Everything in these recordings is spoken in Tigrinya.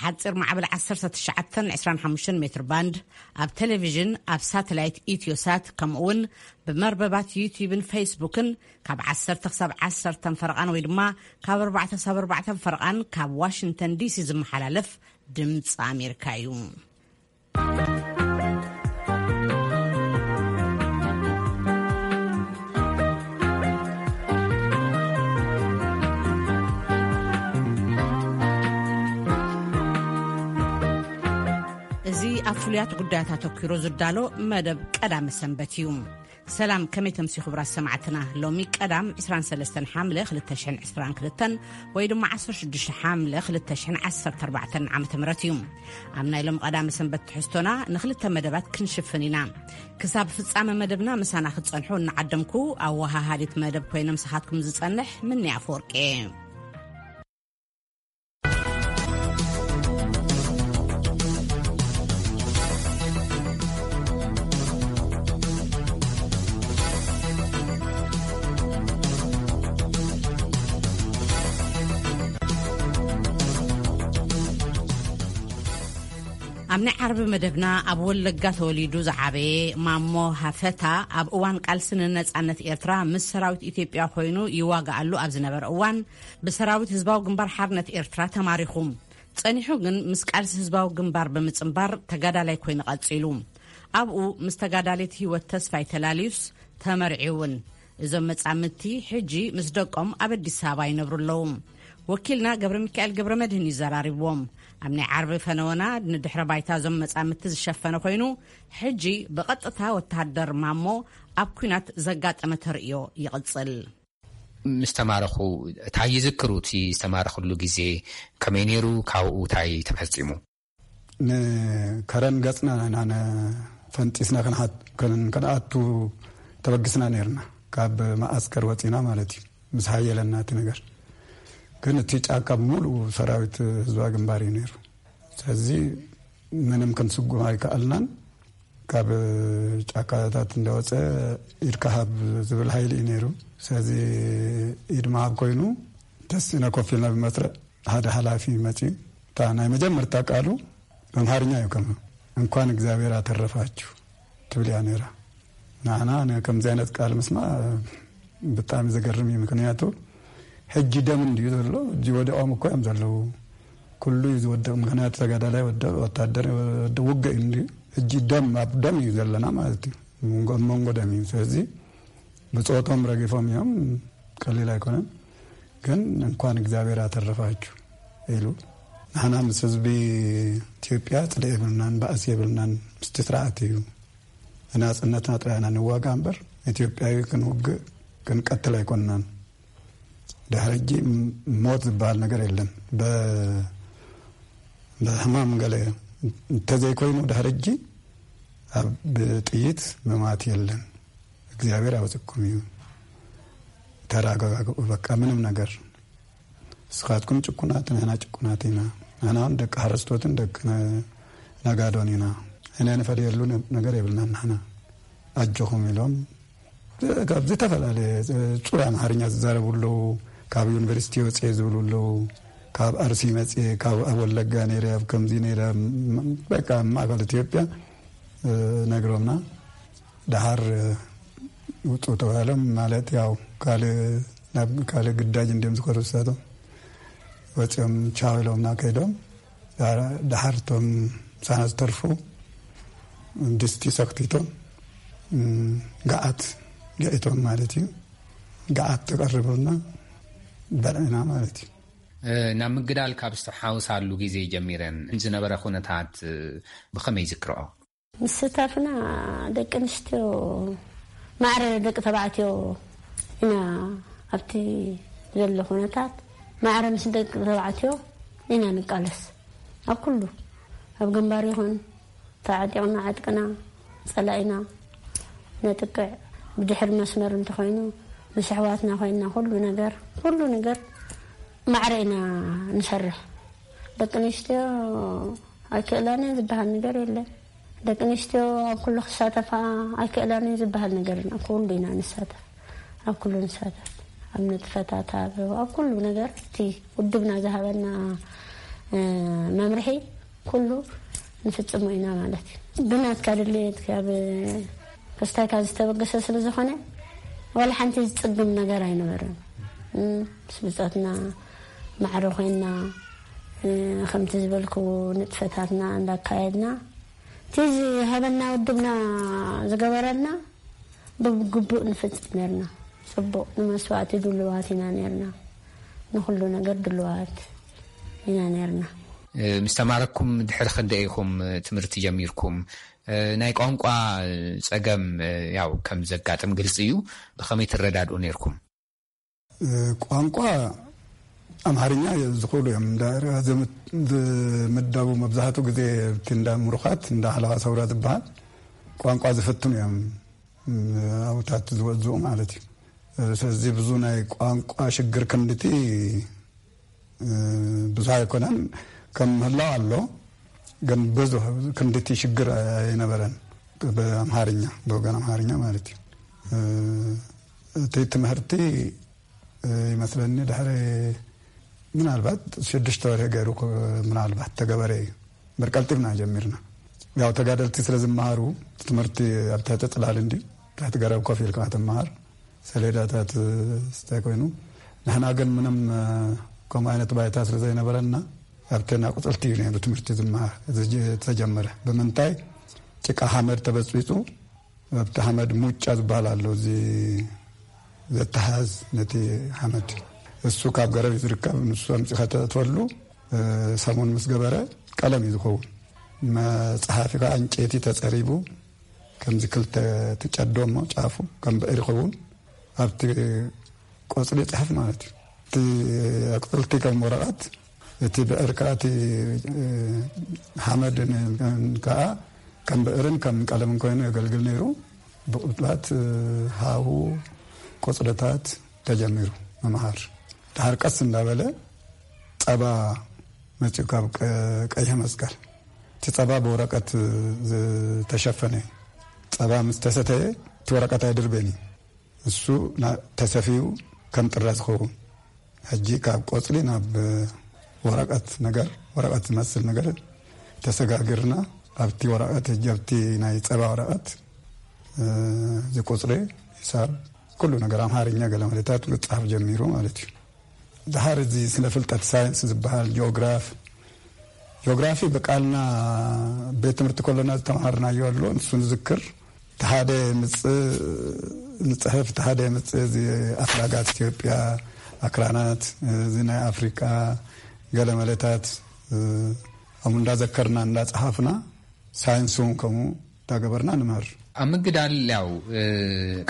ሓጺር ማዕበል ዓሰርተ ትሽዓተ ዕስራን ሓሙሽተን ሜትር ባንድ፣ ኣብ ቴሌቪዥን፣ ኣብ ሳተላይት ኢትዮሳት፣ ከምኡ እውን ብመርበባት ዩቲዩብን ፌስቡክን ካብ ዓሰርተ ክሳብ ዓሰርተ ፈረቓን ወይ ድማ ካብ ኣርባዕተ ክሳብ ኣርባዕተ ፈረቓን ካብ ዋሽንግተን ዲሲ ዝመሓላለፍ ድምፂ ኣሜሪካ እዩ። እዚ ኣብ ፍሉያት ጉዳያት ኣተኲሩ ዝዳሎ መደብ ቀዳመ ሰንበት እዩ። ሰላም፣ ከመይ ተምሲ ክቡራት ሰማዕትና? ሎሚ ቀዳም ዕስራን ሰለስተን ሓምለ ክልተ ሽሕን ዕስራን ክልተን ወይ ድማ ዓሰርተ ሽዱሽተ ሓምለ ክልተ ሽሕን ዓሰርተ ኣርባዕተን ዓመተ ምህረት እዩ። ኣብ ናይ ሎም ቀዳመ ሰንበት ትሕዝቶና ንክልተ መደባት ክንሽፍን ኢና። ክሳብ ፍጻመ መደብና ምሳና ክትጸንሑ እናዓደምኩ፣ ኣወሃሃዲት መደብ ኮይነ ምሳኻትኩም ዝጸንሕ ምንያ ኣፈወርቂ እየ። ኣብ ናይ ዓርቢ መደብና ኣብ ወለጋ ተወሊዱ ዝዓበየ ማሞ ሃፈታ ኣብ እዋን ቃልሲ ንነጻነት ኤርትራ ምስ ሰራዊት ኢትዮጵያ ኮይኑ ይዋጋኣሉ ኣብ ዝነበረ እዋን ብሰራዊት ህዝባዊ ግንባር ሓርነት ኤርትራ ተማሪኹ። ጸኒሑ ግን ምስ ቃልሲ ህዝባዊ ግንባር ብምጽንባር ተጋዳላይ ኮይኑ ቀጺሉ። ኣብኡ ምስ ተጋዳሊት ህይወት ተስፋይ ተላልዩስ ተመርዒ እውን። እዞም መጻምድቲ ሕጂ ምስ ደቆም ኣብ ኣዲስ ኣበባ ይነብሩ ኣለዉ። ወኪልና ገብረ ሚካኤል ገብረ መድህን እዩ ዘራሪብዎም። ኣብ ናይ ዓርቢ ፈነወና ንድሕረ ባይታ እዞም መጻምድቲ ዝሸፈነ ኮይኑ፣ ሕጂ ብቐጥታ ወተሃደር ማሞ ኣብ ኲናት ዘጋጠመ ተርእዮ ይቕጽል። ምስ ተማረኹ እንታይ ይዝክሩ? እቲ ዝተማረኽሉ ግዜ ከመይ ነይሩ? ካብኡ እንታይ ተፈጺሙ? ንከረን ገጽና ኢና ነ-፣ ፈንጢስና ክንሓት-፣ ከን-፣ ከነኣቱ ተበግስና ነይርና። ካብ መዓስከር ወጺና ማለት እዩ። ምስ ሓየለና እቲ ነገር። ግን እቲ ጫካ ብምሉኡ ሰራዊት ህዝባዊ ግንባር እዩ ነይሩ። ስለዚ ምንም ክንስጉም ኣይከኣልናን። ካብ ጫካታት እንዳወጸ ኢድካ ሃብ ዝብል ሓይሊ እዩ ነይሩ። ስለዚ ኢድ ምሃብ ኮይኑ ተሲእና ኮፍ ኢልና ብመስርዕ ሓደ ሓላፊ መጺኡ። እታ ናይ መጀመርታ ቃሉ ኣምሓርኛ እዩ፣ ከማ እንኳን እግዚኣብሔር ኣተረፋችሁ ትብል እያ ነይራ። ንዓና ነ-፣ ከምዚ ዓይነት ቃል ምስማዕ ብጣዕሚ ዘገርም እዩ። ምክንያቱ ሕጂ ደም እንድዩ ዘሎ፣ ሕጂ ወዲቖም እኮ እዮም ዘለዉ። ኩሉ እዩ ዝወድቕ፣ ምክንያቱ ተጋዳላይ ወድቕ፣ ወታደር ወድቕ፣ ውግእ እዩ እንድዩ። ሕጂ ደም ኣብ ደም እዩ ዘለና ማለት እዩ። መንጎ፣ ኣብ መንጎ ደም እዩ። ስለዚ ብጾቶም ረጊፎም እዮም፣ ቀሊል ኣይኮነን። ግን እንኳን እግዚኣብሔር ኣተረፋችሁ ኢሉ። ንሕና ምስ ህዝቢ ኢትዮጵያ ጽልኢ የብልናን፣ ባእሲ የብልናን። ምስቲ ስርዓት እዩ። ንናጽነትና ጥራይ ኢና ንዋጋ እምበር፣ ኢትዮጵያዊ ክንውግእ ክንቀትል ኣይኮንናን። ድሕሪ ሕጂ ም-፣ ሞት ዝበሃል ነገር የለን። በ-፣ ብሕማም ገለ እንተዘይኮይኑ ድሕሪ ሕጂ ኣብ ብጥይት ምማት የለን። እግዚኣብሔር ያውፅኩም እዩ። ተረጋግኡ። በቃ ምንም ነገር። ንስኻትኩም ጭቁናት፣ ንሕና ጭቁናት ኢና። ንሕና እውን ደቂ ሓረስቶትን ደቂ ነ-፣ ነጋዶን ኢና። እነ ንፈለየሉ ነ-፣ ነገር የብልናን ንሕና። ኣጆኹም ኢሎም ካብ ዝተፈላለየ ጽሩይ ኣምሓርኛ ዝዛረቡ ኣለዉ። ካብ ዩኒቨርሲቲ ወጽኤ ዝብሉ ኣለዉ። ካብ ኣርሲ መጽኤ፣ ካብ ኣብ ወለጋ ነይረ፣ ኣብ ከምዚ ነይረ፣ ም-፣ በቃ ኣብ ማእከል ኢትዮጵያ፣ እ፣ ነግሮምና። ደሓር፣ እ፣ ውጹ ተባሂሎም፣ ማለት ያው ካልእ፣ ናብ ካልእ ግዳጅ እንድዮም ዝኸዱ ንሳቶም። ወጺኦም ቻው ኢሎምና ከይዶም። ዳ-፣ ደሓር እቶም ምሳና ዝተርፉ ድስቲ ሰኽቲቶም፣ እም፣ ገዓት ገዒቶም ማለት እዩ። ገዓት ተቐሪቡልና በልዕና ማለት እዩ። እ፣ ናብ ምግዳል ካብ ዝተሓውሳሉ ግዜ ጀሚረን ዝነበረ ኩነታት፣ እ፣ ብኸመይ ይዝክርኦ? ምስታፍና ደቂ ኣንስትዮ ማዕረ ደቂ ተባዕትዮ ኢና። ኣብቲ ዘሎ ኩነታት ማዕረ ምስ ደቂ ተባዕትዮ ኢና ንቃለስ። ኣብ ኩሉ፣ ኣብ ግንባር ይኹን፣ ተዓጢቕና ዕጥቅና ጸላኢና ነጥቅዕ። ብድሕሪ መስመር እንተኾይኑ ምስ ኣሕዋትና ኮይንና ኩሉ ነገር፣ ኩሉ ነገር ማዕረ ኢና ንሰርሕ። ደቂ ኣንስትዮ ኣይክእላን እየን ዝበሃል ነገር የለን። ደቂ ኣንስትዮ ኣብ ኩሉ ክሳተፋ ኣይክእላን እየን ዝበሃል ነገር የለን። ኣብ ኩሉ ኢና ንሳተፍ፣ ኣብ ኩሉ ንሳተፍ፣ ኣብ ንጥፈታት፣ ኣብ፣ ኣብ ኩሉ ነገር እቲ ውድብና ዝሃበና መምርሒ ኩሉ ንፍጽሞ ኢና ማለት እዩ። ብናትካ ድሌት ካብ ክስታይካ ዝተበገሰ ስለ ዝኾነ ዋላ ሓንቲ ዝጽግም ነገር ኣይነበረን። ምስ ብጾትና ማዕረ ኮይና፣ ከምቲ ዝበልኩ ንጥፈታትና እንዳካየድና፣ እቲ ዝሃበና ውድብና ዝገበረልና ብግቡእ ንፍጽም ነርና። ጽቡቕ ንመስዋእቲ ድልዋት ኢና ነርና። ንኹሉ ነገር ድልዋት ኢና ነርና። ምስ ተማረኩም ድሕሪ ክንደይ ኢኹም ትምህርቲ ጀሚርኩም? ናይ ቋንቋ ጸገም ያው ከም ዘጋጥም ግልጺ እዩ። ብኸመይ ትረዳድኡ ነርኩም? ቋንቋ ኣምሓርኛ ዝኽእሉ እዮም። እንዳ ዝምዳቡ መብዛሕትኡ ግዜ እቲ እንዳ ምሩኻት፣ እንዳ ሓለዋ ሰውራ ዝበሃል ቋንቋ ዝፍትኑ እዮም። ኣብታት ዝወዝኡ ማለት እዩ። ስለዚ ብዙ ናይ ቋንቋ ሽግር ክንድቲ ብዙሕ ኣይኮነን። ከም ምህላው ኣሎ፣ ግን ብዙሕ ክንድቲ ሽግር ኣይነበረን። ብኣምሓርኛ፣ ብወገን ኣምሓርኛ ማለት እዩ። እቲ ትምህርቲ ይመስለኒ ድሕሪ ምናልባት ሽዱሽተ ወርሒ ገይሩ፣ ምናልባት ተገበረ እዩ። እምበር ቀልጢፍና ጀሚርና። ያው ተጋደልቲ ስለ ዝመሃሩ፣ ትምህርቲ ኣብ ትሕቲ ጽላል እንዲ ትሕቲ ገረብ ኮፍ ኢልካ ትመሃር፣ ሰሌዳታት ስታይ ኮይኑ፣ ንሕና ግን ምንም ከምኡ ዓይነት ባይታ ስለ ዘይነበረና፣ ኣብተን ኣቁጽልቲ እዩ ነይሩ ትምህርቲ ዝመሃር። ዝተጀመረ ብምንታይ? ጭቃ ሓመድ ተበጽቢጹ፣ ኣብቲ ሓመድ ሙጫ ዝበሃል ኣሎ፣ እዚ ዘተሓዝ ነቲ ሓመድ፣ እሱ ካብ ገረብ እዩ ዝርከብ። ንሱ ኣምጺኻ ተእትወሉ፣ ሰሙን ምስ ገበረ ቀለም እዩ ዝኸውን። መጽሓፊ ከዓ ዕንጨይቲ ተጸሪቡ፣ ከምዚ ክልተ ትጨዶ እሞ ጫፉ ከም ብዕር ይኸውን። ኣብቲ ቆጽሊ ጽሕፍ ማለት እዩ። እቲ ኣቁጽልቲ ከም ወረቐት፣ እቲ ብዕር ከዓ፣ እቲ ሓመድ ከዓ ከም ብዕርን ከም ቀለምን ኮይኑ የገልግል ነይሩ። ብቑልላት፣ ሃሁ፣ ቆጽልታት ተጀሚሩ ምምሃር። ድሓር ቀስ እንዳበለ ጸባ መጺኡ ካብ ቀ-፣ ቀይሕ መስቀል። እቲ ጸባ ብወረቀት ዝተሸፈነ እዩ። ጸባ ምስ ተሰተየ እቲ ወረቀት ኣይድርበን እዩ። እሱ ና-፣ ተሰፍዩ ከም ጥረ ዝኸውን። ሕጂ ካብ ቆጽሊ ናብ ወረቀት ነገር፣ ወረቀት ዝመስል ነገር ተሰጋግርና፣ ኣብቲ ወረቀት፣ ሕጂ ኣብቲ ናይ ጸባ ወረቀት፣ እ፣ እዚ ቁጽሪ፣ ሂሳብ፣ ኩሉ ነገር ኣምሓርኛ ገለ መለታት ክጻፍ ጀሚሩ ማለት እዩ። ድሓር እዚ ስነ ፍልጠት ሳይንስ ዝበሃል ጂኦግራፍ፣ ጂኦግራፊ ብቃልና ቤት ትምህርቲ ከሎና ዝተምሃርናዮ ኣሎ፣ ንሱ ንዝክር። እቲ ሓደ ምጽእ ንጽሕፍ፣ እቲ ሓደ ምጽእ እዚ ኣፍላጋት ኢትዮጵያ፣ ኣክራናት፣ እዚ ናይ ኣፍሪቃ ገለ መለታት፣ ከምኡ እንዳዘከርና እንዳጸሓፍና፣ ሳይንስ እውን ከምኡ እንዳገበርና ንምህር። ኣብ ምግዳል ያው፣ እ፣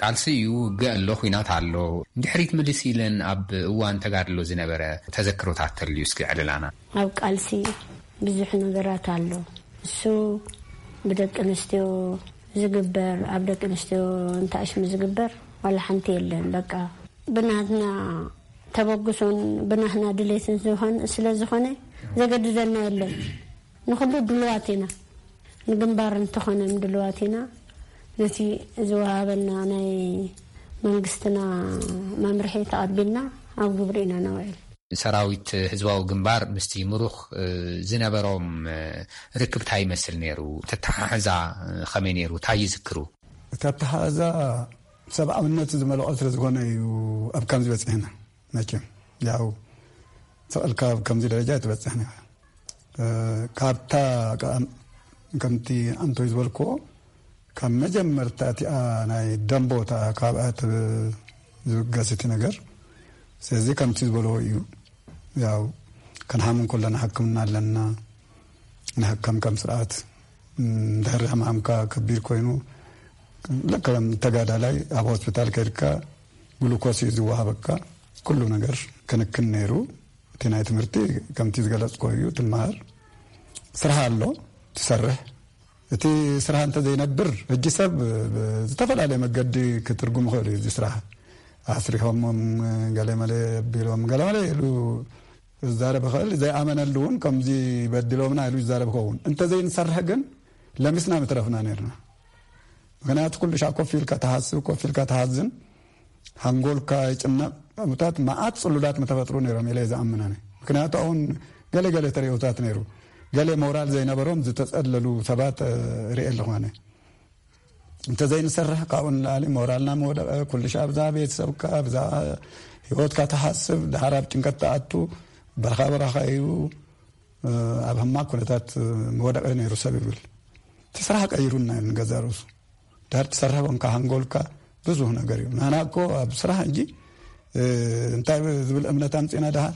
ቃልሲ እዩ፣ ውግእ ኣሎ፣ ኲናት ኣሎ። ንድሕሪት ምልስ ኢለን ኣብ እዋን ተጋድሎ ዝነበረ ተዘክሮታት ተልዩ እስኪ ዕልላና። ኣብ ቃልሲ ብዙሕ ነገራት ኣሎ። እሱ ብደቂ ኣንስትዮ ዝግበር፣ ኣብ ደቂ ኣንስትዮ እንተኣሽሙ ዝግበር ዋላ ሓንቲ የለን። በቃ ብናትና ተበግሶን ብናትና ድሌትን ዝኾን-፣ ስለ ዝኾነ ዘገድደና የለን። ንኹሉ ድልዋት ኢና። ንግንባር እንተኾነ ድልዋት ኢና። ነቲ ዝወሃበና ናይ መንግስትና መምርሒ ተቐቢልና ኣብ ግብሪ ኢና ነውዕል። ሰራዊት ህዝባዊ ግንባር ምስቲ ምሩኽ፣ እ፣ ዝነበሮም፣ እ፣ ርክብ እንታይ ይመስል ነይሩ? ተተሓሕዛ፣ እ፣ ከመይ ነይሩ? እንታይ ይዝክሩ? እቲ ኣተሓሕዛ ሰብኣውነት ዝመልኦ ስለ ዝኾነ እዩ ኣብ ከምዚ በጺሕና። መቸም ያው ስቕ ኢልካ ኣብ ከምዚ ደረጃ ኣይትበጽሕን ኢኻ። እ፣ ካብታ፣ ቃ-፣ ከምቲ ኣንቶይ ዝበልክዎ፣ ካብ መጀመርታ እቲኣ ናይ ደንቦታ ካብኣ ትብ-፣ ዝብገስ እቲ ነገር። ስለዚ ከምቲ ዝበልዎ እዩ። ያው ክንሓም እንከለና ሕክምና ኣለና። ንሕከም ከም ስርዓት፣ እም፣ ድሕሪ ሕማምካ ከቢድ ኮይኑ፣ ልክዕ ከም ተጋዳላይ ኣብ ሆስፒታል ከይድካ ግሉኮስ እዩ ዝወሃበካ። ኩሉ ነገር ክንክን ነይሩ። እቲ ናይ ትምህርቲ ከምቲ ዝገለጽኮ እዩ፣ ትመሃር። ስራሕ ኣሎ፣ ትሰርሕ። እቲ ስራሕ እንተ ዘይነብር፣ ሕጂ ሰብ ብዝተፈላለየ መገዲ ክትርጉም ይኽእል እዩ። እዚ ስራሕ ኣስሪሖሞም፣ ገለመለ ኣቢሎም፣ ገለመለ ኢሉ ዝዛረብ ይኽእል። ዘይኣመነሉ እውን ከምዚ በዲሎምና ኢሉ ይዛረብ ይኸውን። እንተ ዘይንሰርሕ ግን ለሚስና ምትረፍና ነርና። ምኽንያቱ ኩሉ ሻዕ ኮፍ ኢልካ ትሓስብ፣ ኮፍ ኢልካ ትሓዝን፣ ሓንጎልካ ይጭነቕ። ከምኡታት መዓት ጽሉላት ምተፈጥሩ ነይሮም ኢለ እየ ዝኣምን ኣነ። ምኽንያቱ ኣሁን ገለ ገለ ተርእዮታት ነይሩ። ገለ ሞራል ዘይነበሮም ዝተጸለሉ ሰባት ርኤ ኣለኹ ኣነ። እንተዘይንሰርሕ ካብኡ ንላዕሊ ሞራልና መወደቐ። ኩሉ ሻዕ ኣብዛ ቤተሰብካ ኣብዛ ህይወትካ ትሓስብ፣ ድሓር ኣብ ጭንቀት ትኣቱ፣ በረኻ በረኻ እዩ። ኣብ ሕማቅ ኩነታት መወደቐ ነይሩ ሰብ ይብል። እቲ ስራሕ ቀይሩና ንገዛ ርእሱ። ዳር ትሰርሕ ኮንካ ሓንጎልካ ብዙህ ነገር እዩ። ናና እኮ ኣብ ስራሕ እንጂ እንታይ ዝብል እምነት ኣምጺና ድሓር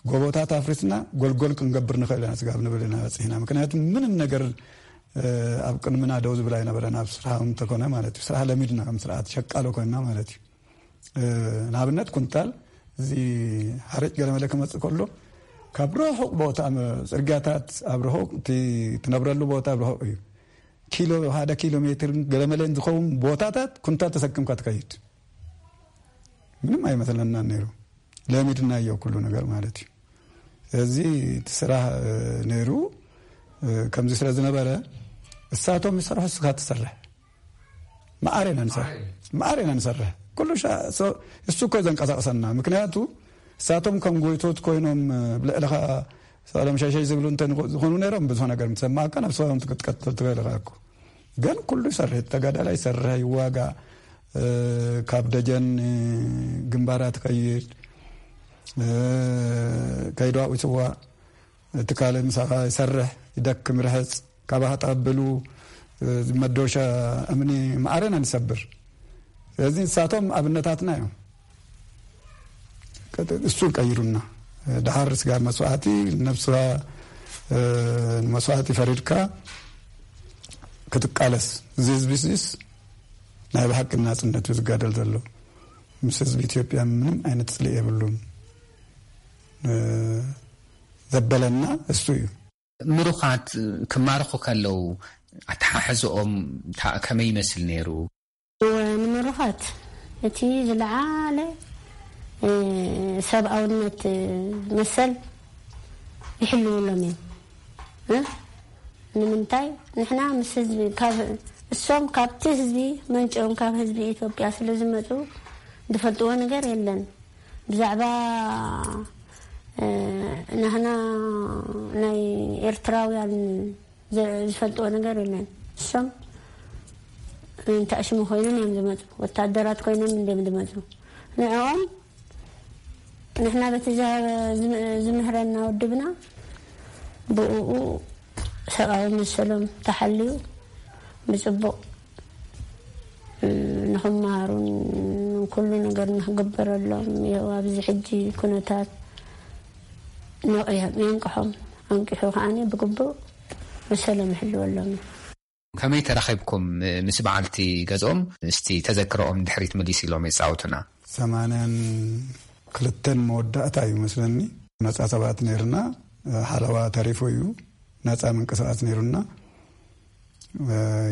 ጎቦታት ኣፍሪስና ጎልጎል ክንገብር ንኽእል ኢና ስጋብ ንብል ኢና በጺሕና። ምክንያቱ ምንም ነገር ኣብ ቅድምና ደው ዝብል ኣይነበረን። ኣብ ስራሕ እንተኮነ ማለት እዩ። ስራሕ ለሚድና ከም ስርዓት ሸቃሎ ኮይና ማለት እዩ። ንኣብነት ኩንታል እዚ ሓረጭ ገለመለ ክመጽእ ከሎ ካብ ርሑቕ ቦታ ጽርግያታት ኣብ ርሑቕ ትነብረሉ ቦታ ኣብ ርሑቕ እዩ። ኪሎ ሓደ ኪሎ ሜትር ገለመለን ዝኸውን ቦታታት ኩንታል ተሰክምካ ትከይድ። ምንም ኣይመስለና ነይሩ። ለሚድናዮ ኩሉ ነገር ማለት እዩ። እዚ እቲ ስራሕ ነይሩ። ከምዚ ስለ ዝነበረ እሳቶም ይሰርሑ እስኻ ትሰርሕ። መዓር ኢና ንሰርሕ። መዓር ኢና ንሰርሕ። ኩሉ እሱ እኮ ዘንቀሳቅሰና። ምክንያቱ እሳቶም ከም ጎይቶት ኮይኖም ብልዕልኻ ሰሎም ሸሸይ ዝብሉ እንተ ዝኾኑ ነይሮም ብዙሕ ነገር ምትሰማዕካ ናብ ሰሎም ትቀጥል ትበልኻ እኮ። ግን ኩሉ ይሰርሕ፣ ተጋዳላይ ይሰርሕ፣ ይዋጋእ፣ ካብ ደጀን ግንባራት ከይድ፣ ከይድዋኡ ይስዋእ፣ እቲ ካልእ ምሳኻ ይሰርሕ፣ ይደክም፣ ይርሕጽ፣ ካባኻ ተቐብሉ፣ መዶሻ እምኒ መዓረና ንሰብር። ስለዚ ንሳቶም ኣብነታትና እዮም። እሱ ቀይሩና። ድሓር ስጋ መስዋዕቲ፣ ነብስኻ መስዋዕቲ ፈሪድካ ክትቃለስ። እዚ ህዝቢ እዚስ ናይ ብሓቂ ናጽነቱ ዝጋደል ዘሎ። ምስ ህዝቢ ኢትዮጵያ ምንም ዓይነት ጽልኢ የብሉን። ዘበለና እሱ እዩ። ምሩኻት ክማርኹ ከለዉ ኣተሓሕዝኦም ከመይ ይመስል ነይሩ? ንምሩኻት እቲ ዝለዓለ ሰብኣውነት መሰል ይሕልውሎም እዮም። ንምንታይ ንሕና ምስ ህዝቢ እሶም ካብቲ ህዝቢ መንጭኦም ካብ ህዝቢ ኢትዮጵያ ስለ ዝመፁ ዝፈልጥዎ ነገር የለን። ብዛዕባ ናህና ናይ ኤርትራውያን ዝፈልጥዎ ነገር የለን። እሶም እንተኣሽሙ ኮይኖም እዮም ዝመፁ፣ ወታደራት ኮይኖም እንዲም ዝመፁ። ንዕኦም ንሕና በቲ ዝምህረና ውድብና ብኡ ሰብኣዊ መሰሎም ተሓልዩ ብፅቡቕ ንኽመሃሩን ኩሉ ነገር ንክግበረሎም ይኸው ኣብዚ ሕጂ ኩነታት ነቕዮም የንቅሖም። ኣንቂሑ ከዓኒ ብግቡእ መሰሎም ይሕልወሎም። ከመይ ተራኺብኩም ምስ በዓልቲ ገዝኦም? እስቲ ተዘክሮኦም ድሕሪት መሊስ ኢሎም የጻውቱና። ሰማንያን ክልተን መወዳእታ እዩ መስለኒ። ነጻ ሰባት ነይርና፣ ሓለዋ ተሪፉ እዩ። ነጻ ምንቅስቃስ ነይሩና።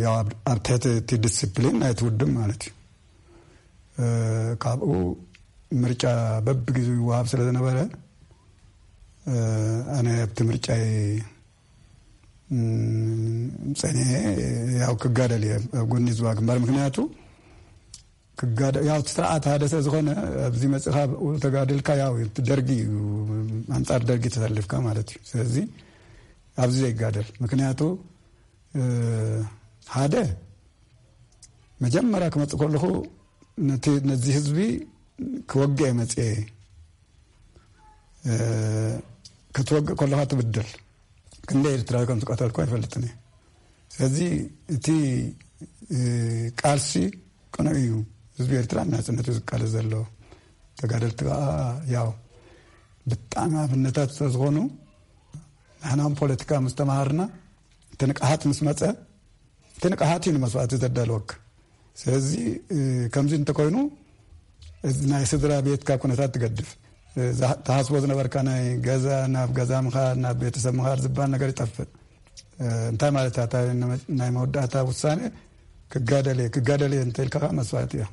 ያው ኣብ ትሕቲ እቲ ዲስፕሊን ናይቲ ውድብ ማለት እዩ። ካብኡ ምርጫ በብግዜኡ ይወሃብ ስለ ዝነበረ ኣነ ኣብቲ ምርጫ ጸኒሐ ያው ክጋደል እየ ኣብ ጎኒ ዝዋ ግንባር። ምክንያቱ ያው እቲ ስርዓት ሓደ ስለ ዝኾነ ኣብዚ መጽኻ ተጋድልካ ያው ደርጊ እዩ፣ ኣንጻር ደርጊ ተሰልፍካ ማለት እዩ። ስለዚ ኣብዚ ዘይጋደል ምክንያቱ ሓደ መጀመርያ ክመጽእ ከለኹ ነዚ ህዝቢ ክወግእ መጽኤ ክትወግእ ከለኻ ትብድል። ክንደይ ኤርትራዊ ከም ዝቀተልኩ ኣይፈልጥን እየ። ስለዚ እቲ ቃልሲ ቅኑዕ እዩ። ህዝቢ ኤርትራ ናጽነቱ ዝቃለስ ዘሎ ተጋደልቲ ከዓ ያው ብጣዕሚ ኣብነታት ስለዝኾኑ ንሕናም ፖለቲካ ምስ ተምሃርና እቲ ንቅሓት ምስ መጸ እቲ ንቅሓት እዩ ንመስዋእቲ ዘዳልወካ። ስለዚ ከምዚ እንተኮይኑ ናይ ስድራ ቤትካ ኩነታት ትገድፍ። ትሓስቦ ዝነበርካ ናይ ገዛ ናብ ገዛ ምኻድ ናብ ቤተሰብ ምኻድ ዝበሃል ነገር ይጠፍእ። እንታይ ማለት እያ? ናይ መወዳእታ ውሳኔ ክጋደል እየ ክጋደል እየ እንተኢልካ ከዓ መስዋእቲ እያ።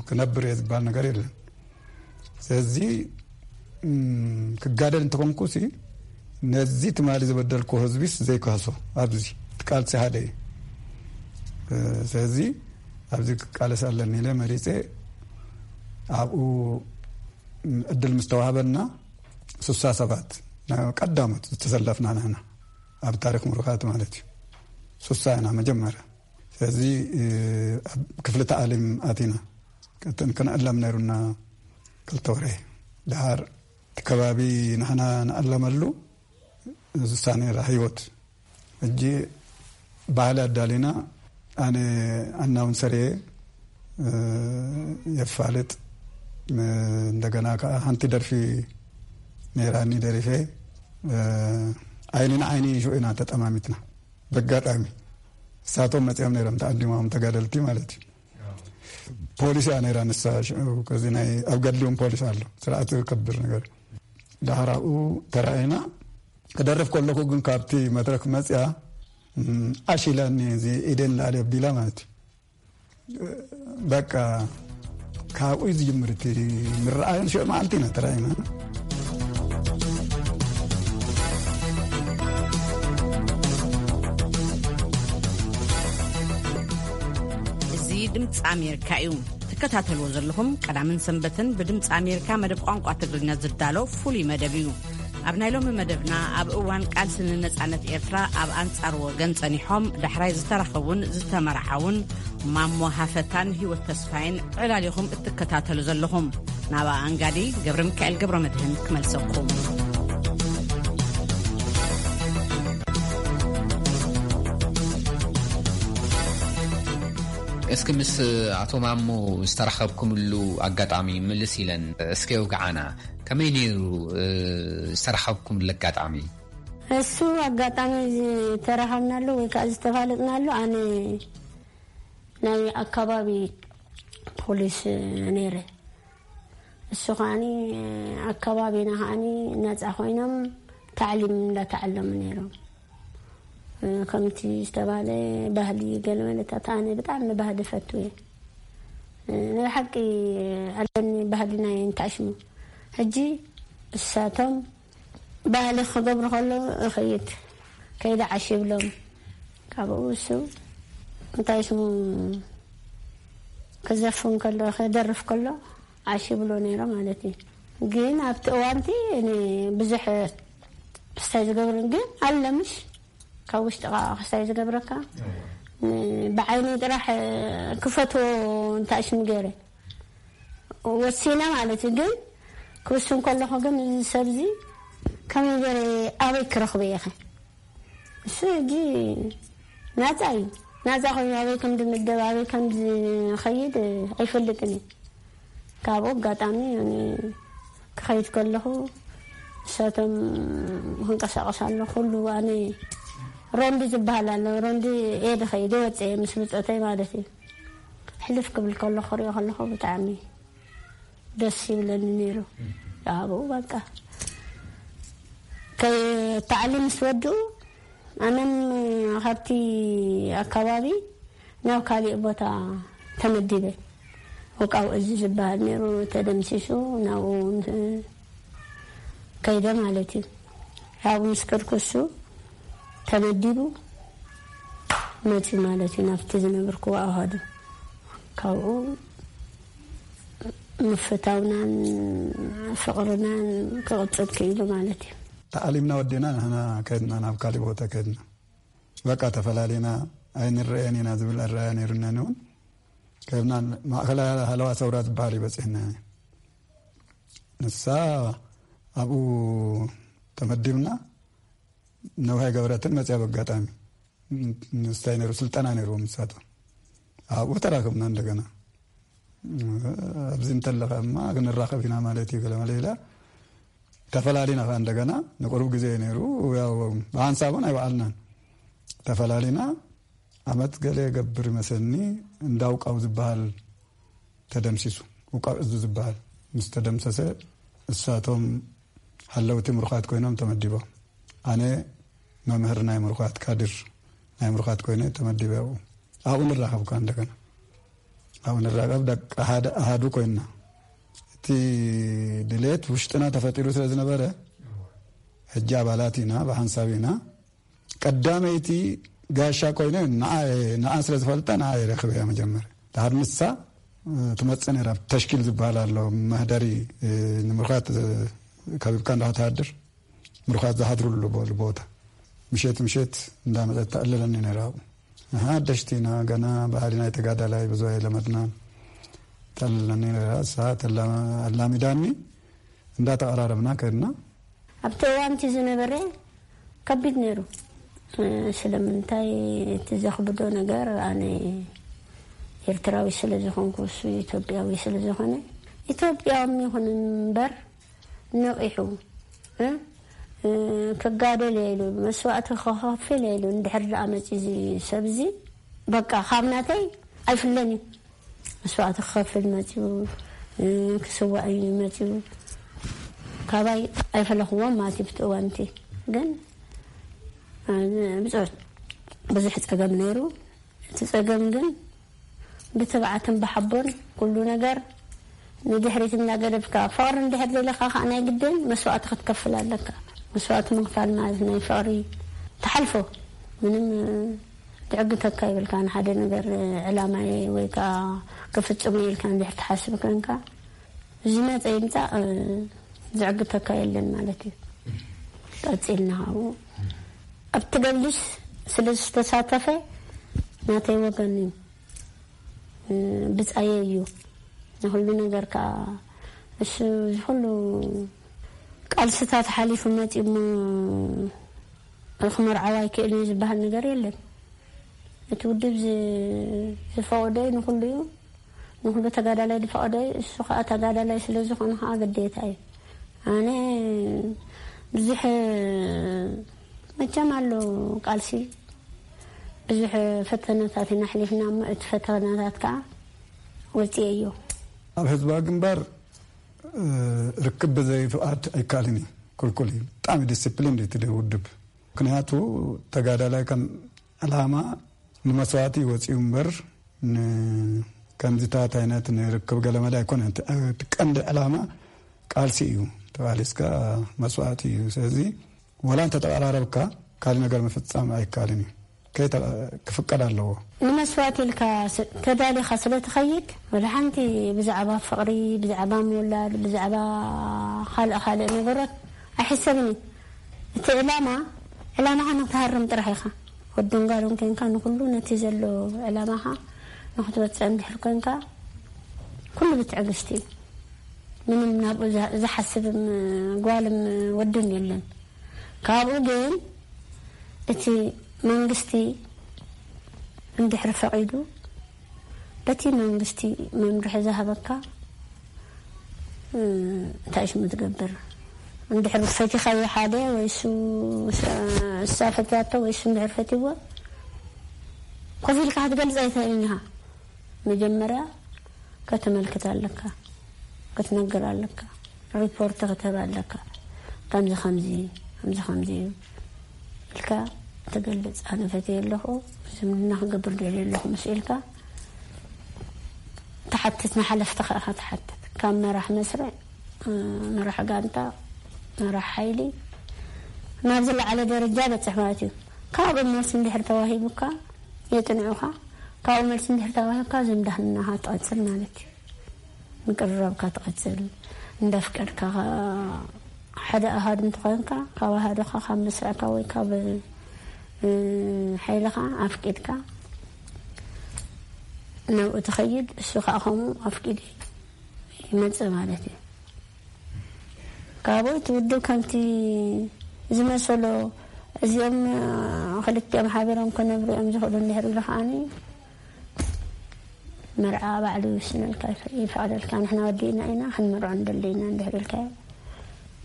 ክነብር እየ ዝበሃል ነገር የለን። ስለዚ ክጋደል እንተኮንኩ ሲ ነዚ ትማሊ ዝበደልኩ ህዝቢስ ዘይከህሶ ኣብዚ ቃልሲ ሓደ እዩ። ስለዚ ኣብዚ ክቃለስ ኣለኒ ኢለ መሪፀ ኣብኡ እድል ምስ ተዋህበና ስሳ ሰባት ቀዳሞት ዝተሰለፍና ንሕና፣ ኣብ ታሪኽ ምሩኻት ማለት እዩ። ሱሳ ኢና መጀመርያ። ስለዚ ኣብ ክፍሊ ተኣሊም ኣቲና ክን- ክንዕለም ነይሩና ክልተ ወርሒ። ድሓር እቲ ከባቢ ንሕና ንኣለመሉ ሱሳ ነይራ ህይወት። ሕጂ ባህሊ ኣዳሊና፣ ኣነ ኣናውንሰር እየ፣ የፋልጥ። እንደገና ከዓ ሓንቲ ደርፊ ነይራኒ ደሪፈ። ዓይኒ ንዓይኒ ሽዑ ኢና ተጠማሚትና። በጋጣሚ እሳቶም መፂኦም ነይሮም፣ ተኣዲሞም፣ ተጋደልቲ ማለት እዩ። ፖሊስ እያ ነይራ ንሳ ሽዑ። ከዚ ናይ ኣብ ገድሊ እውን ፖሊስ ኣሎ፣ ስርዓት ከብር ነገር። ዳሕራኡ ተራእና። ክደርፍ ከለኹ ግን ካብቲ መድረክ መፅያ፣ ዓሽ ኢላኒ፣ እዚ ኢደን ላዕሊ ኣቢላ ማለት እዩ። በቃ ካብኡ እዩ ዝጅምር እቲ ምርኣዮን ሽዑ መዓልቲ ኢና ተራእና። እዚ ድምፂ ኣሜሪካ እዩ። ትከታተልዎ ዘለኹም ቀዳምን ሰንበትን ብድምፂ ኣሜሪካ መደብ ቋንቋ ትግርኛ ዝዳሎ ፍሉይ መደብ እዩ። ኣብ ናይ ሎሚ መደብና ኣብ እዋን ቃልሲ ንነፃነት ኤርትራ ኣብ ኣንጻር ወገን ጸኒሖም ዳሕራይ ዝተራኸቡን ዝተመርዓውን ማሞ ሃፈታን ህይወት ተስፋይን ዕላሊኹም እትከታተሉ ዘለኹም። ናብኣ ኣንጋዲ ገብረ ሚካኤል ገብረ መድህን ክመልሰኩም። እስኪ ምስ ኣቶ ማሞ ዝተራኸብኩምሉ ኣጋጣሚ ምልስ ኢለን እስኪ ኣውግዓና። ከመይ ነይሩ ዝተራኸብኩምሉ ኣጋጣሚ? እሱ ኣጋጣሚ ዝተራኸብናሉ ወይ ከዓ ዝተፋለጥናሉ ኣነ ናይ ኣካባቢ ፖሊስ ነይረ። እሱ ከዓኒ ኣካባቢና ከዓኒ ነፃ ኮይኖም ታዕሊም እንዳተዓለሙ ነይሮም። ከምቲ ዝተባለ ባህሊ ገለመለታት ኣነ ብጣዕሚ ባህሊ ፈቱ እየ። ናይ ሓቂ ኣለኒ ባህሊ ናይ እንታሽሙ። ሕጂ እሳቶም ባህሊ ክገብሩ ከለዉ እኸይድ ከይደ ዓሽ ይብሎም። ካብኡ እሱ እንታይ ስሙ ክዘፍን ከሎ ክደርፍ ከሎ ዓሽ ይብሎ ነይሮ ማለት እዩ። ግን ኣብቲ እዋንቲ እኔ ብዙሕ ክስታይ ዝገብርን ግን ኣለምሽ ካብ ውሽጥኻ ክስታይ ዝገብረካ ብዓይኒ ጥራሕ ክፈትዎ እንታይ ስሙ ገይረ ወሲነ ማለት እዩ። ግን ክውስን ከለኹ ግን እዚ ሰብዚ ከመይ ገይረ ኣበይ ክረኽቦ እየ ኸ? እሱ ሕጂ ናጻ እዩ። ናጻ ኮይኑ ኣበይ ከም ዝምደብ ኣበይ ከም ዝኸይድ ኣይፈልጥን እዩ። ካብኡ ኣጋጣሚ እኔ ክኸይድ ከለኹ እሳቶም ክንቀሳቀስ ኣሎ ኩሉ ኣነ ሮንዲ ዝበሃል ኣሎ ሮንዲ እየ ዝኸይድ እየ ወፀ ምስ ብፆተይ ማለት እዩ። ሕልፍ ክብል ከሎ ክሪኦ ከለኹ ብጣዕሚ ደስ ይብለኒ ነይሩ። ኣብኡ በቃ ከይ ታዕሊም ምስ ወድኡ ኣነም ካብቲ ኣካባቢ ናብ ካሊእ ቦታ ተመዲበ። ውቃው እዚ ዝበሃል ነይሩ ተደምሲሱ ናብኡ ከይደ ማለት እዩ። ኣብኡ ምስ ከድኩ እሱ ተመዲቡ መፂ ማለት እዩ ናብቲ ዝነበርኩዎ ኣሃዱ። ካብኡ ምፍታውናን ፍቕርናን ክቕፅል ክኢሉ ማለት እዩ። ተኣሊምና ወዲና ንሕና ከድና ናብ ካሊእ ቦታ ከድና በቃ ተፈላሊና ኣይንረአን ኢና ዝብል ኣረኣያ ነይሩና እውን ከብና ማእከላ ሃለዋ ሰውራ ዝበሃል ይበፅሕና ንሳ ኣብኡ ተመዲብና ነውሃይ ገብረትን መፅያ በጋጣሚ ንስታይ ነሩ ስልጠና ነሩ ምሳቶ ኣብኡ ተራከብና እንደገና ኣብዚ እንተለኸ እማ ክንራኸብ ኢና ማለት እዩ ገለመለ ኢላ ተፈላሊና ከ እንደገና ንቁሩብ ግዜ ነሩ ያው ብሓንሳብ እውን ኣይበዓልናን ተፈላሊና ዓመት ገለ ገብር ይመስለኒ እንዳውቃው ዝበሃል ተደምሲሱ ውቃው እዙ ዝበሃል ምስ ተደምሰሰ እሳቶም ሓለውቲ ምሩኻት ኮይኖም ተመዲቦም ኣነ መምህር ናይ ምሩኻት ካድር ናይ ምሩኻት ኮይነ ተመዲበ ኣብኡ ኣብኡ ንራኸብ ከ እንደገና ኣብኡ ንራኸብ ደቂ ሓደ ኣሃዱ ኮይንና እቲ ድሌት ውሽጥና ተፈጢሩ ስለ ዝነበረ ሕጂ ኣባላት ኢና ብሓንሳብ ኢና ቀዳመይቲ ጋሻ ኮይነ ንዓ ስለ ዝፈልጣ ንዓ የረክብ እያ መጀመር ድሓር ንሳ ትመፅእ ነራ ተሽኪል ዝበሃል ኣሎ መህደሪ ንምርካት ከቢብካ እንዳተሃድር ምሩኻት ዝሓድሩሉ ቦ- ቦታ። ምሸት ምሸት እንዳመጸት ተዕልለኒ ነይራ። ኣብኡ ንሕና ሓደሽቲ ኢና፣ ገና ባህሊ ናይ ተጋዳላይ ብዙ ኣይለመድናን። ተዕልለኒ ነይራ። እሳ ተላ- ኣላሚዳኒ፣ እንዳተቐራረብና ከድና። ኣብቲ እዋን እቲ ዝነበረ ከቢድ ነይሩ። ስለምንታይ? እቲ ዘኽብዶ ነገር፣ ኣነ ኤርትራዊ ስለ ዝኾንኩ፣ እሱ ኢትዮጵያዊ ስለ ዝኾነ፣ ኢትዮጵያዊ ይኹን እምበር ነቒሑ፣ እ? እ፣ ክጋደል እየ ኢሉ፣ መስዋእቲ ክኸፍል እየ ኢሉ፣ እንድሕር ደኣ መፂ እዚ ሰብ እዚ፣ በቃ ካብ ናተይ ኣይፍለን እዩ። መስዋእቲ ክኸፍል መፂኡ፣ እ፣ ክስዋእ እዩ መፂኡ። ካባይ ኣይፈለኽዎም ማለት እዩ። ብቲ እዋን እቲ ግን፣ እ፣ ብፁዕ ብዙሕ ጸገም ነይሩ። እቲ ጸገም ግን ብትብዓትን ብሓቦን ኩሉ ነገር ንድሕሪት እናገደፍካ፣ ፍቕሪ እንድሕር ደሊኻ ከኣ ናይ ግድን መስዋእቲ ክትከፍል ኣለካ። መስዋእቲ ምኽፋል ማለት ናይ ፍቕሪ ትሓልፎ፣ ምንም ትዕግተካ ይብልካ። ንሓደ ነገር ዕላማየ ወይ ከኣ ክፍጽሞ ኢልካ እንድሕር ትሓስብ ኮንካ፣ ዝመጸ ይምጻእ፣ ዝዕግተካ የለን ማለት እዩ። ቀጺልና ካብኡ ኣብቲ ገድልስ ስለ ዝተሳተፈ ናተይ ወገን እዩ። ብጻየ እዩ ንኹሉ ነገር ከኣ። እሱ እዚ ኩሉ ቃልስታት ሓሊፉ መጺኡ እሞ ክመርዓው ኣይክእልን እዩ ዝበሃል ነገር የለን። እቲ ውድብ ዝ- ዝፈቕዶ እዩ ንኹሉ እዩ። ንኹሉ ተጋዳላይ ዝፈቕዶ እዩ። እሱ ከኣ ተጋዳላይ ስለ ዝኾነ ከኣ ግዴታ እዩ። ኣነ ብዙሕ መቸም ኣሎ ቃልሲ፣ ብዙሕ ፈተነታት ኢና ኣሕሊፍና እሞ እቲ ፈተነታት ከኣ ወጺኤዮ። ኣብ ህዝባዊ ግንባር፣ እ፣ ርክብ ብዘይ ፍቓድ ኣይከኣልን እዩ። ክልኩል እዩ። ብጣዕሚ ዲስፕሊን እዩ እቲ ውድብ። ምክንያቱ ተጋዳላይ ከም ዕላማ ንመስዋእቲ እዩ ወጺኡ እምበር፣ ን-፣ ከምዚታት ዓይነት ንርክብ ገለመለ ኣይኮነን። እቲ፣ እቲ ቀንዲ ዕላማ ቃልሲ እዩ። ተቓሊስካ መስዋእቲ እዩ። ስለዚ ዋላ እንተተቐራረብካ ካልእ ነገር ምፍጻም ኣይከኣልን እዩ። ከይተ-፣ ክፍቀድ ኣለዎ። ንመስዋእቲ ኢልካ ስ-፣ ተዳሊኻ ስለ ትኸይድ፣ ወላ ሓንቲ ብዛዕባ ፍቕሪ፣ ብዛዕባ ምውላድ፣ ብዛዕባ ካልእ ካልእ ነገራት ኣይሕሰብን እዩ። እቲ ዕላማ፣ ዕላማኻ ንክትሃርም ጥራሕ ኢኻ። ወድን ጓልን ኮንካ ንኹሉ ነቲ ዘሎ ዕላማኻ ንክትወጽእ እንድሕር ኮንካ፣ ኩሉ ብትዕግስቲ እዩ። ምንም ናብኡ ዝ-፣ ዝሓስብም ጓልም ወድን የለን። ካብኡ ግን እቲ መንግስቲ እንድሕር ፈቒዱ፣ በቲ መንግስቲ መምርሒ ዝሃበካ፣ እ፣ እንታይ ሽሙ ትገብር? እንድሕር ፈቲኻዮ ሓደ ወይ እሱ፣ እሳ ፈትያቶ ወይ እሱ እንድሕር ፈትይዎ፣ ኮፍ ኢልካ ክትገልጽ ኣይትኽእልን ኢኻ። መጀመርያ ከተመልክት ኣለካ፣ ክትነግር ኣለካ፣ ሪፖርት ክትህብ ኣለካ። ከምዚ ከምዚ፣ ከምዚ ከምዚ እዩ ኢልካ ትገልጽ። ኣነ ፈትየ ኣለኹ፣ ዝምድና ክገብር ደልየ ኣለኹ ምስ ኢልካ ትሓትት፣ ንሓለፍትኻ ኢኻ ትሓትት። ካብ መራሕ መስርዕ፣ መራሕ ጋንታ፣ መራሕ ሓይሊ፣ ናብ ዝለዓለ ደረጃ በጽሕ ማለት እዩ። ካብኡ መልሲ እንድሕር ተዋሂቡካ፣ የጽንዑኻ። ካብኡ መልሲ እንድሕር ተዋሂብካ፣ ዝምድናኻ ትቐጽል ማለት እዩ። ምቅርራብካ ትቐጽል። እንዳፍቀድካ ኸ-፣ ሓደ ኣሃዱ እንተኾይንካ፣ ካብ ኣሃዱኻ፣ ካብ መስርዕካ ወይ ካብ፣ እ፣ ሓይልኻ ኣፍቂድካ ናብኡ ትኸይድ፣ እሱ ኸኣ ከምኡ ኣፍቂዱ ይመጽእ ማለት እዩ። ካብኡ እቲ ውድብ ከምቲ ዝመሰሎ፣ እዚኦም ክልቲኦም ሓቢሮም ክነብሩ እዮም ዝኽእሉ እንድሕር ኢሉ ከዓኒ፣ መርዓ ባዕሉ ይውስነልካ፣ ይፈ-፣ ይፈቕደልካ። ንሕና ወዲእና ኢና፣ ክንምርዖ ንደሊ ኢና እንድሕር ኢልካዮ፣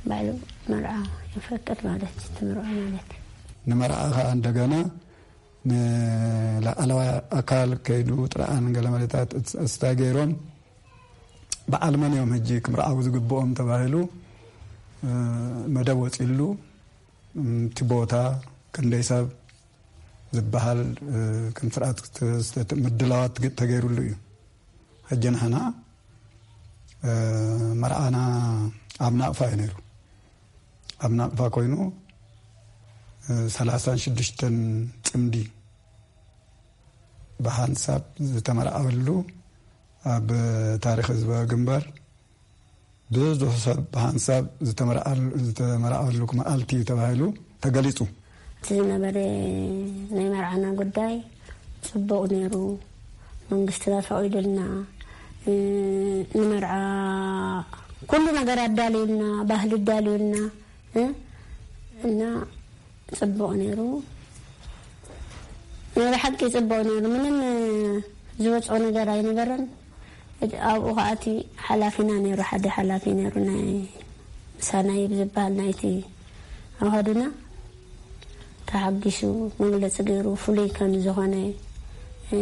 ባዕሉ መርዓ ይፈቅድ ማለት እዩ፣ ትምርዖ ማለት እዩ። ንመርዓ ኸዓ እንደገና ንላዕለዋይ ኣካል ከይዱ ጥርዓን ገለ መለታት እስ-፣ እስታይ ገይሮም፣ በዓል መን እዮም ሕጂ ክምርዓው ዝግብኦም ተባሂሉ፣ እ፣ መደብ ወፂሉ፣ እም፣ እቲ ቦታ ክንደይ ሰብ ዝበሃል፣ እ፣ ከም ስርዓት ክተ-፣ ምድላዋት ግ-፣ ተገይሩሉ እዩ። ሕጂ ንሕና፣ እ፣ መርዓና ኣብ ናቕፋ እዩ ነይሩ። ኣብ ናቕፋ ኮይኑ፣ እ፣ ሰላሳን ሽዱሽተን ጽምዲ ብሓንሳብ ዝተመርዓወሉ ኣብ ታሪኽ ህዝባዊ ግንባር ብዙሕ ሰብ ብሓንሳብ ዝተመርዓሉ- ዝተመርዓሉ መዓልቲ ተባሂሉ ተገሊጹ። እቲ ዝነበረ ናይ መርዓና ጉዳይ ጽቡቕ ነይሩ። መንግስትና ፈቒዱልና፣ እ፣ ንመርዓ ኩሉ ነገር ኣዳልዩልና፣ ባህሊ ኣዳልዩልና፣ እ፣ እና ጽቡቕ ነይሩ። ናይ ብሓቂ ጽቡቕ ነይሩ። ምንም ዝወጽኦ ነገር ኣይነበረን። እቲ ኣብኡ ኸኣ እቲ ሓላፊና ነይሩ፣ ሓደ ሓላፊ ነይሩ፣ ናይ ምሳና ይብ ዝበሃል ናይቲ ኣሃዱና ተሓጊሱ መግለጺ ገይሩ ፍሉይ ከም ዝኾነ፣ እ፣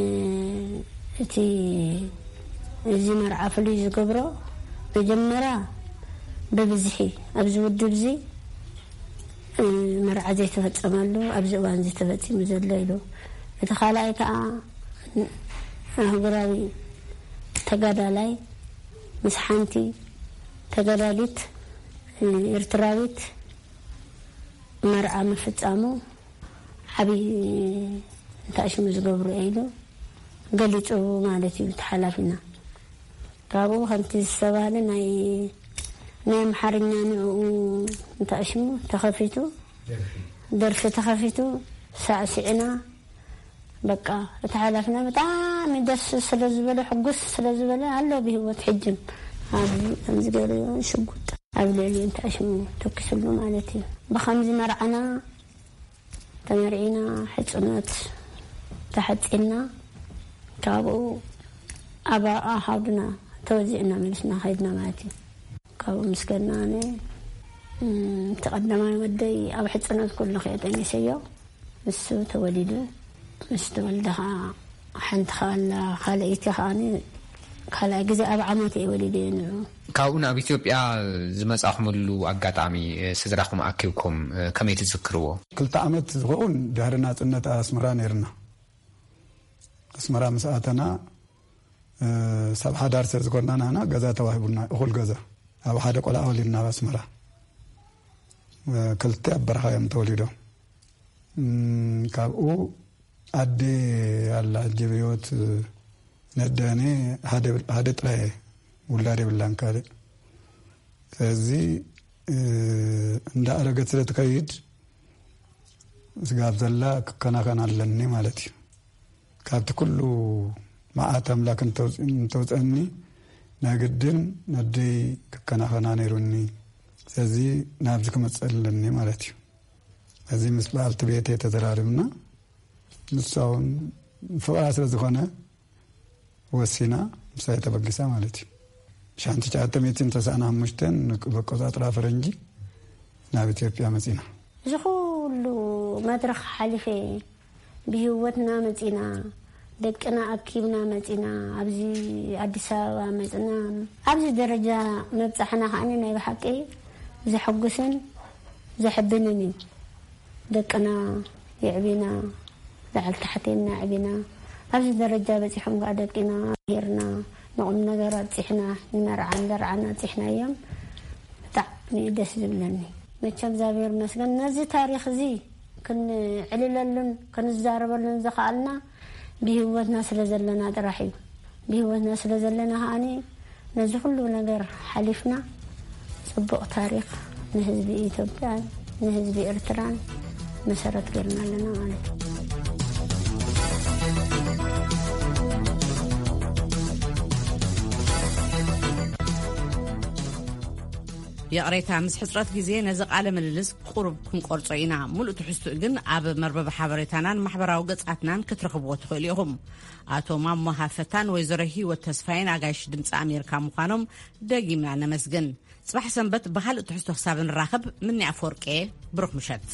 እቲ እዚ መርዓ ፍሉይ ዝገብሮ መጀመርያ ብብዝሒ ኣብዚ ውድብ እዚ፣ እ፣ መርዓ ዘይተፈጸመሉ ኣብዚ እዋን እዚ ተፈጺሙ ዘሎ ኢሉ። እቲ ካልኣይ ከኣ ኣህጉራዊ ተጋዳላይ ምስ ሓንቲ ተጋዳሊት፣ እ፣ ኤርትራዊት መርዓ ምፍጻሙ ዓብዪ እንታሽሙ ዝገብሩ ኢሉ ገሊጹ ማለት እዩ እቲ ሓላፊና። ካብኡ ከምቲ ዝተባህለ ናይ ናይ ኣምሓርኛ ንዕኡ እንታሽሙ ተኸፊቱ፣ ደርፊ ተኸፊቱ፣ ሳዕሲዕና። በቃ እቲ ሓላፊና ብጣዕሚ ደስ ስለ ዝበለ፣ ሕጉስ ስለ ዝበለ ኣሎ ብህይወት ሕጅም። ኣብዚ ከምዚ ገይሩ ሽጉጥ ኣብ ልዕሊ እንታሽሙ ተኪስሉ ማለት እዩ። ብኸምዚ መርዓና ተመርዒና፣ ሕጽኖት ተሓጺና፣ ካብኡ ኣብ ኣሃዱና ተወዚዕና መሊስና ከይድና ማለት እዩ። ካብኡ ምስ ከድና ኣነ፣ እም፣ እቲ ቀዳማይ ወደይ ኣብ ሕጽኖት ኩሉ ከየ ጠኒሰዮ፣ ንሱ ተወሊዱ። ምስ ተወልደ ኸዓ ሓንቲ ኸዓ ኣላ፣ ካልኣይቲ ኸዓ ካልኣይ ግዜ ኣብ ዓመት እየ ወሊደ ንዑ። ካብኡ ናብ ኢትዮጵያ ዝመጻኹምሉ ኣጋጣሚ፣ እ፣ ስድራኹም ኣኪብኩም፣ እ፣ ከመይ ትዝክርዎ? ክልተ ዓመት ዝኸውን ድሕሪ ናጽነት ኣስመራ ነይርና። ኣስመራ ምስ ኣተና፣ እ፣ ሰብ ሓዳር ስለ ዝኾንና ንሕና ገዛ ተዋሂቡና፣ እኹል ገዛ። ኣብ ሓደ ቆልዓ ወሊድና ኣብ ኣስመራ። እ፣ ክልተ ኣብ በረኻ እዮም ተወሊዶም። እም፣ ካብኡ ኣደ ኣላ፣ ሕጂ ብህይወት ነደኔ ሓደ፣ ሓደ ጥራይ ውላድ የብላን ካልእ። ስለዚ፣ እ፣ እንዳኣረገት ስለ ትከይድ ስጋብ ዘላ ክከናኸን ኣለኒ ማለት እዩ። ካብቲ ኩሉ መዓት ኣምላክ እንተውፅ-፣ እንተውፀኒ ናይ ግድን ነደይ ክከናኸና ነይሩኒ። ስለዚ ናብዚ ክመፅእ ኣለኒ ማለት እዩ። እዚ ምስ በዓልቲ ቤተይ ተዘራሪብና፣ ንሳ እውን ፍቕራ ስለ ዝኾነ ወሲና፣ ምሳይ ተበጊሳ ማለት እዩ። ሻንቲ ትሽዓተ ሚእትን ተስዓን ሓሙሽተን ብኣቆጻጽራ ፈረንጂ ናብ ኢትዮጵያ መጺና። እዚ ኩሉ መድረኽ ሓሊፈ ብህይወትና መጺና፣ ደቅና ኣኪብና መጺና፣ ኣብዚ ኣዲስ ኣበባ መጽና። ኣብዚ ደረጃ መብጻሕና ከኣኒ ናይ ብሓቂ ዘሐጉስን ዘሕብንን እዩ። ደቅና የዕቢና፣ ላዕሊ ታሕቲ ኢልና ኣዕቢና፣ ኣብዚ ደረጃ በጺሖም ከኣ ደቂና ሂርና፣ ንቑም ነገር ኣብጺሕና፣ ንመርዓን ደርዓን ኣብጺሕናዮም። ብጣዕሚ እዩ ደስ ዝብለኒ። መቸም እግዚኣብሔር ይመስገን፣ ነዚ ታሪኽ እዚ ክንዕልለሉን ክንዛረበሉን ዝኸኣልና ብህይወትና ስለ ዘለና ጥራሕ እዩ። ብህይወትና ስለ ዘለና ከኣኒ ነዚ ኩሉ ነገር ሓሊፍና ጽቡቕ ታሪኽ ንህዝቢ ኢትዮጵያን ንህዝቢ ኤርትራን መሰረት ጌርና ኣለና ማለት እዩ። ይቕሬታ፣ ምስ ሕጽረት ግዜ ነዚ ቃለ ምልልስ ቁሩብ ክንቆርጾ ኢና። ሙሉእ ትሕዝቱኡ ግን ኣብ መርበብ ሓበሬታናን ማሕበራዊ ገጻትናን ክትረኽብዎ ትኽእሉ ኢኹም። ኣቶ ማሞ ሃፈታን ወይዘሮ ህይወት ተስፋይን ኣጋይሽ ድምፂ ኣሜሪካ ምዃኖም ደጊምና ነመስግን። ጽባሕ ሰንበት ብኻልእ ትሕዝቶ ክሳብ ንራኸብ፣ ምኒ ኣፈወርቄ፣ ብሩኽ ምሸት።